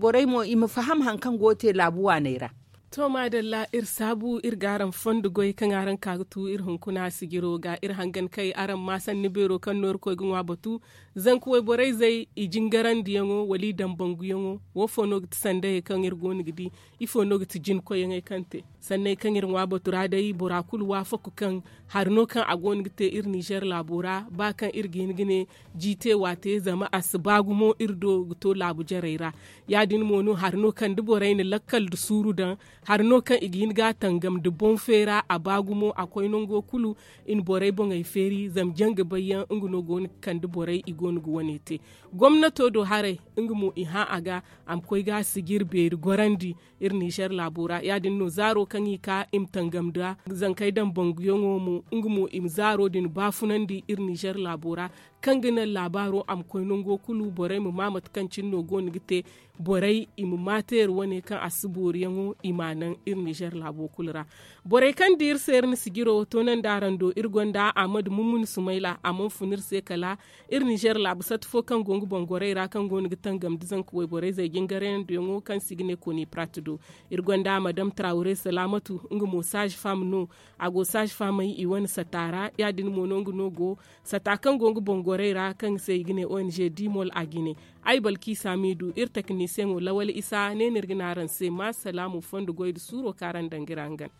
borey mo i ma faham hari kaŋ go ga te laabu waaney ra. To maadalla iri saabu iri ga araŋ fondo goy kaŋ araŋ ka ga tu iri hunkuna sijiro ga iri hangan kay araŋ ma sanni beero kaŋ no iri koy ga ŋwa batu. Zanka wayborey zey i jingarandiyaŋo wala i dambanguyaŋo? Wo fo no ga ti sandayey kaŋ iri go no ga di? Ifo no ga ti jinkoyyaŋey kaŋ te sanney kaŋ iri ŋwa batu ra day bora kulu waafaku kaŋ hari no kaŋ a go no ga te iri ninzeer laabo ra ba kaŋ iri ga hin ga ne ji te waate zama a si ba gumo iri do ga to laabu jarey ra. Ya- din mo no hari no kaŋ da borey na lakkal nda suuru daŋ hari no kaŋ i ga hin ga a tangam nda boŋ feera a ba gumo a koy nango kulu i na borey boŋey feeri zama jangabay yaŋ nga no go no ga kande borey i go no ga wane te. Gomnato do haray nga mo i hã a ga a ma koy ga a sijir beeri gorandi iri ninzeer laabo ra ya- din no zaaro kaŋ i ka i ma tangam nda zankey daŋ banguyaŋo mo nga mo i ma zaaro din baafunandi iri ninzeer laabo ra kaŋ ga naŋ laabaaro a ma koy nango kulu borey ma ma mate kaŋ cine no go no ga te borey i ma ma teeri wane kaŋ a si booriyaŋo i m'a naŋ iri ninzeer laabo kulu ra. Borey kaŋ di iri se iri na sijiro toonandi araŋ do iri gonda ahmadu mummuni sumayla a mana fun iri se kala iri ninzeer laabu sata fo kaŋ go nga boŋ gorey ra kaŋ go no ga tangam nda zanka wayborey zey jingarayandiyaŋo kaŋ se i ga ne koni prat do. Iri gonda madam trawre salaamatu nga mo saazi fam no a go saazi famey i wane sata ra ya- din mo no nga no go sata kaŋ go nga boŋ gorey ra kaŋ se i ga ne ong dimol a jine. Ay balki saamiidu iri teknisiyeŋo lawal isa ne no iri ga ne araŋ se ma salaamu fondo goy nda suuro kaŋ araŋ daŋ ga iri hangan.